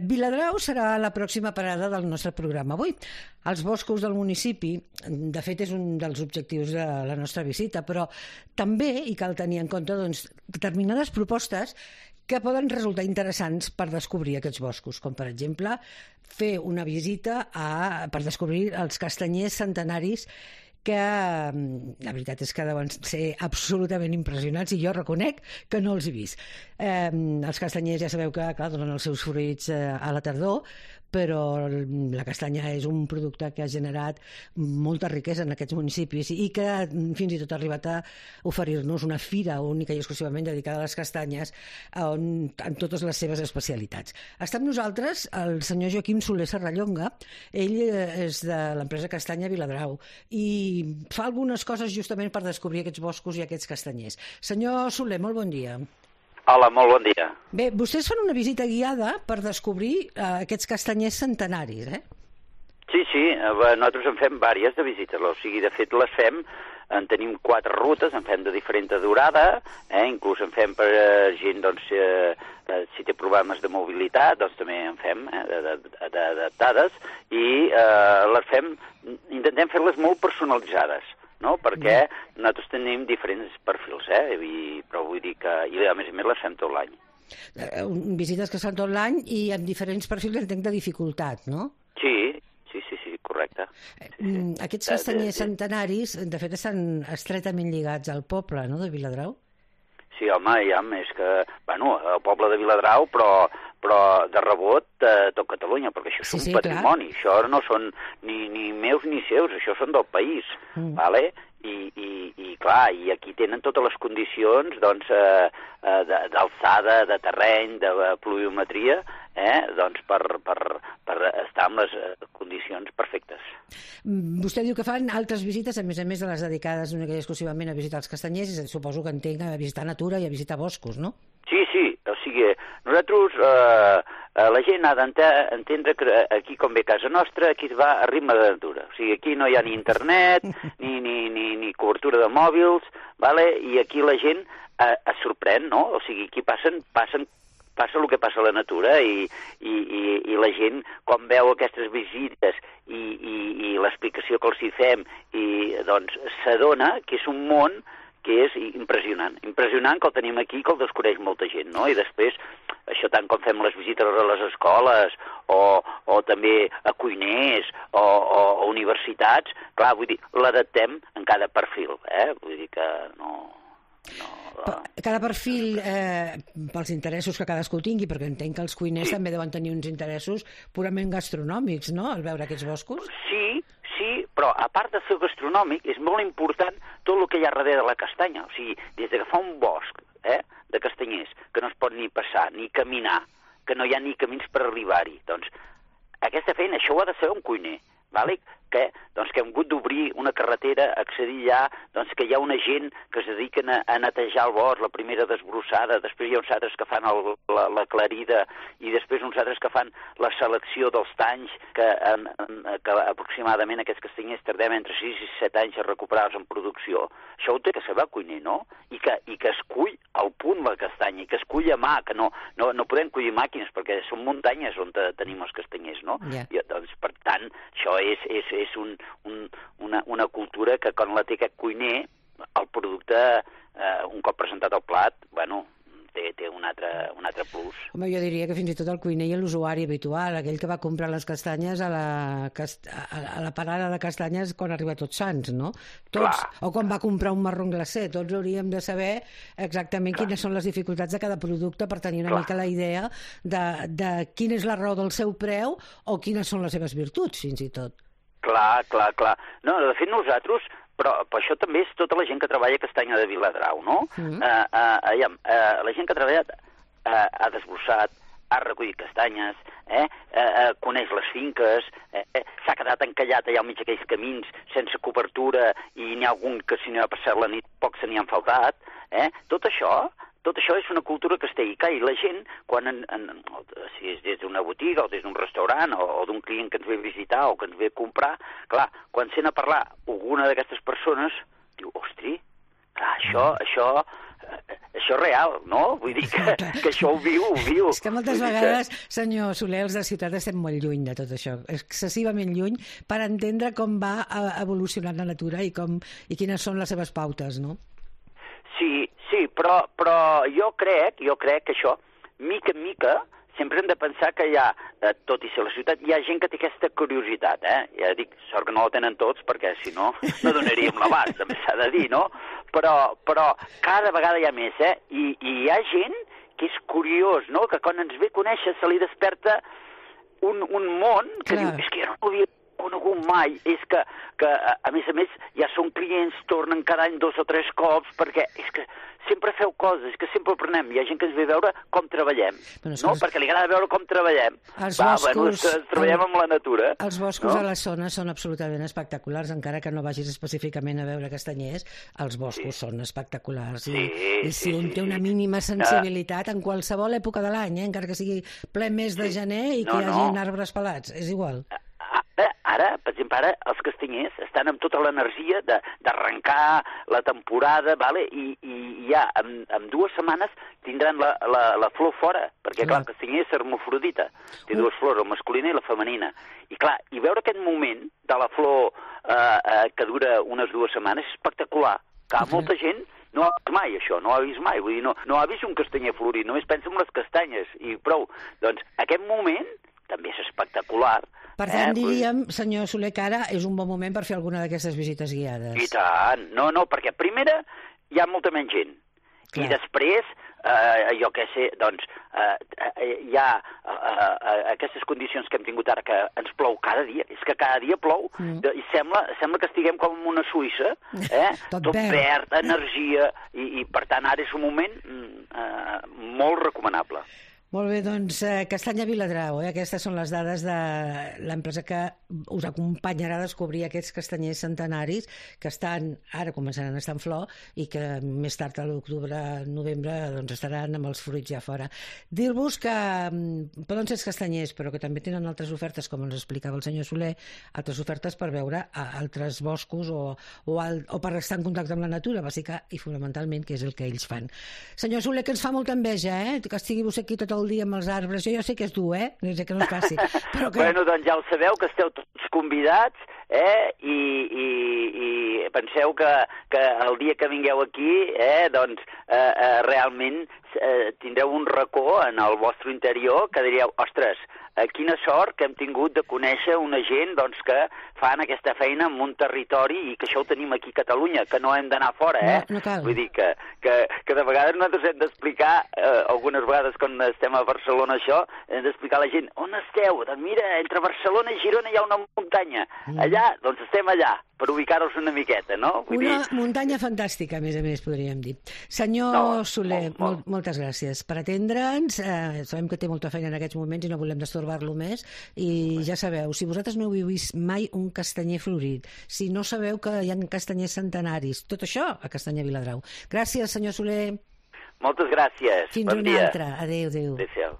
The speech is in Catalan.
Viladrau serà la pròxima parada del nostre programa avui. Els boscos del municipi, de fet, és un dels objectius de la nostra visita, però també hi cal tenir en compte determinades propostes que poden resultar interessants per descobrir aquests boscos, com per exemple fer una visita per descobrir els castanyers centenaris que la veritat és que deuen ser absolutament impressionants i jo reconec que no els he vist. Els castanyers ja sabeu que, clar, donen els seus fruits a la tardor, però la castanya és un producte que ha generat molta riquesa en aquests municipis i que fins i tot ha arribat a oferir-nos una fira única i exclusivament dedicada a les castanyes en totes les seves especialitats. Està amb nosaltres el senyor Joaquim Soler Serrallonga. Ell és de l'empresa Castanya Viladrau i fa algunes coses justament per descobrir aquests boscos i aquests castanyers. Senyor Soler, molt bon dia. Hola, molt bon dia. Bé, vostès fan una visita guiada per descobrir aquests castanyers centenaris, eh? Sí, nosaltres en fem diverses de visites, o sigui, de fet les fem, en tenim 4 rutes, en fem de diferent durada, inclús en fem per gent, doncs, si té problemes de mobilitat, doncs també en fem adaptades, i les fem, intentem fer-les molt personalitzades, no? Perquè nosaltres tenim diferents perfils, però vull dir que, i a més les fem tot l'any. Visites que es fan tot l'any i amb diferents perfils, entenc, de dificultat, no? Sí, correcte. Aquests castanyers centenaris, de fet, estan estretament lligats al poble, no?, de Viladrau? Sí, home, és que, bueno, el poble de Viladrau, però de rebot tot Catalunya, perquè això és un patrimoni. Clar. Això no són ni meus ni seus, això són del país, vale? I clar, i aquí tenen totes les condicions, doncs, d'alçada, de terreny, de pluviometria, doncs per estar en les condicions perfectes. Vostè diu que fan altres visites, a més de les dedicades únicament i exclusivament a visitar els castanyers, i suposo que entenc a visitar natura i a visitar boscos, no? Sí, o sigui, nosaltres, la gent ha d'entendre que aquí, com ve a casa nostra, aquí es va a ritme de natura. O sigui, aquí no hi ha ni internet, ni cobertura de mòbils, vale? I aquí la gent es sorprèn, no? O sigui, aquí passa el que passa a la natura i la gent, quan veu aquestes visites i l'explicació que els hi fem, doncs s'adona que és un món que és impressionant que el tenim aquí, que el desconeix molta gent, no? I després, això tant com fem les visites a les escoles o també a cuiners o universitats, clar, vull dir, l'adaptem en cada perfil, vull dir que no... Cada perfil, pels interessos que cadascú tingui, perquè entenc que els cuiners també deuen tenir uns interessos purament gastronòmics, no?, al veure aquests boscos? Sí, però a part de ser gastronòmic, és molt important tot el que hi ha darrere de la castanya. O sigui, des de que fa un bosc de castanyers, que no es pot ni passar, ni caminar, que no hi ha ni camins per arribar-hi. Doncs aquesta feina, això ho ha de saber un cuiner, vale? Que hem hagut d'obrir una carretera, accedir allà, doncs que hi ha una gent que es dediquen a netejar el bosc, la primera desbrossada, després hi ha uns altres que fan la clarida i després uns altres que fan la selecció dels tanys, que aproximadament aquests castanyers tardem entre 6 i 7 anys a recuperar-los en producció. Això ho té que saber el cuiner, no? I que es cull al punt la castanya, i que es cull a mà, que no podem collir màquines, perquè són muntanyes on tenim els castanyers, no? Yeah. I, doncs, per tant, això és una cultura que quan la té aquest cuiner, el producte, un cop presentat al plat, bueno, té un altre plus. Home, jo diria que fins i tot el cuiner i l'usuari habitual, aquell que va comprar les castanyes a la parada de castanyes quan arriba Tots Sants, no? Tots, o quan va comprar un marron glacé, tots hauríem de saber exactament quines són les dificultats de cada producte per tenir una mica la idea de quina és la raó del seu preu o quines són les seves virtuts, fins i tot. Clar. No, de fet nosaltres, però això també és tota la gent que treballa a Castanya de Viladrau, no? La gent que ha treballat ha desbrossat, ha recollit castanyes, coneix les finques, s'ha quedat encallat allà al mig d'aquells camins sense cobertura i n'hi ha algun que si no ha passat la nit poc se n'hi han faltat. Tot això és una cultura que es té. I la gent, si és des d'una botiga o des d'un restaurant o d'un client que ens ve a visitar o que ens ve a comprar, clar, quan sent a parlar alguna d'aquestes persones, diu, ostri, clar, això és real, no? Vull dir que això ho viu. És que moltes vegades, senyor Soler, els de ciutat estem molt lluny de tot això, excessivament lluny, per entendre com va evolucionant la natura i quines són les seves pautes, no? Sí, però jo crec que això, mica en mica, sempre hem de pensar que hi ha, tot i ser la ciutat, hi ha gent que té aquesta curiositat, Ja dic, sort que no la tenen tots, perquè si no, no donaríem l'abast, també s'ha de dir, no? Però cada vegada hi ha més, I hi ha gent que és curiós, no? Que quan ens ve a conèixer se li desperta un món que diu, és que jo no havia conegut mai, és que a més ja són clients, tornen cada any 2 o 3 cops, perquè és que sempre feu coses, que sempre aprenem. Hi ha gent que ens ve a veure com treballem, no? Perquè li agrada veure com treballem. Treballem amb la natura. Els boscos a les zones són absolutament espectaculars, encara que no vagis específicament a veure castanyers, els boscos són espectaculars. I si un té una mínima sensibilitat en qualsevol època de l'any, encara que sigui ple mes de gener i que hi hagi arbres pelats, és igual. Ara, per exemple, els castanyers estan amb tota l'energia d'arrencar la temporada, i ja en 2 setmanes tindran la flor fora, perquè, clar, el castanyer és hermafrodita, té 2 flors, la masculina i la femenina. I, clar, veure aquest moment de la flor que dura unes 2 setmanes és espectacular. Clar, molta gent no ha vist mai això, no ha vist mai, vull dir, no ha vist un castanyer florit, només pensa en les castanyes, i prou. Doncs aquest moment també és espectacular. Per tant, diríem, senyor Soler, que ara és un bon moment per fer alguna d'aquestes visites guiades. I tant. No, perquè primera hi ha molta menys gent. Clar. I després, jo què sé, doncs, hi ha aquestes condicions que hem tingut ara, que ens plou cada dia. És que cada dia plou, i sembla que estiguem com en una Suïssa, tot verd, energia, i per tant ara és un moment molt recomanable. Molt bé, doncs Castanya Viladrau, aquestes són les dades de l'empresa que us acompanyarà a descobrir aquests castanyers centenaris que ara començaran a estar en flor i que més tard a l'octubre, novembre, doncs estaran amb els fruits ja fora. Dir-vos que poden ser els castanyers, però que també tenen altres ofertes, com ens explicava el senyor Soler, altres ofertes per veure altres boscos o per estar en contacte amb la natura, bàsica i fonamentalment, que és el que ells fan. Senyor Soler, que ens fa molta enveja, que estigui vostè aquí tot el dia amb els arbres. Jo sé que és dur, no sé que no és fàcil. Però que... Bueno, doncs ja ho sabeu, que esteu tots convidats, i penseu que el dia que vingueu aquí, doncs realment tindreu un racó en el vostre interior que diríeu, ostres, quina sort que hem tingut de conèixer una gent doncs, que fan aquesta feina en un territori i que això ho tenim aquí a Catalunya, que no hem d'anar fora, No cal. Vull dir que de vegades nosaltres hem d'explicar, algunes vegades quan estem a Barcelona això, hem d'explicar a la gent, on esteu? Doncs mira, entre Barcelona i Girona hi ha una muntanya. Allà, doncs estem allà, per ubicar-nos una miqueta, no? Muntanya fantàstica, a més, podríem dir. Senyor Soler, moltes gràcies per atendre'ns. Sabem que té molta feina en aquests moments i no volem destorbar-lo més. I ja sabeu, si vosaltres no heu vist mai un castanyer florit, si no sabeu que hi ha castanyers centenaris, tot això a Castanya Viladrau. Gràcies, senyor Soler. Moltes gràcies. Fins una altra. Adéu. Adéu.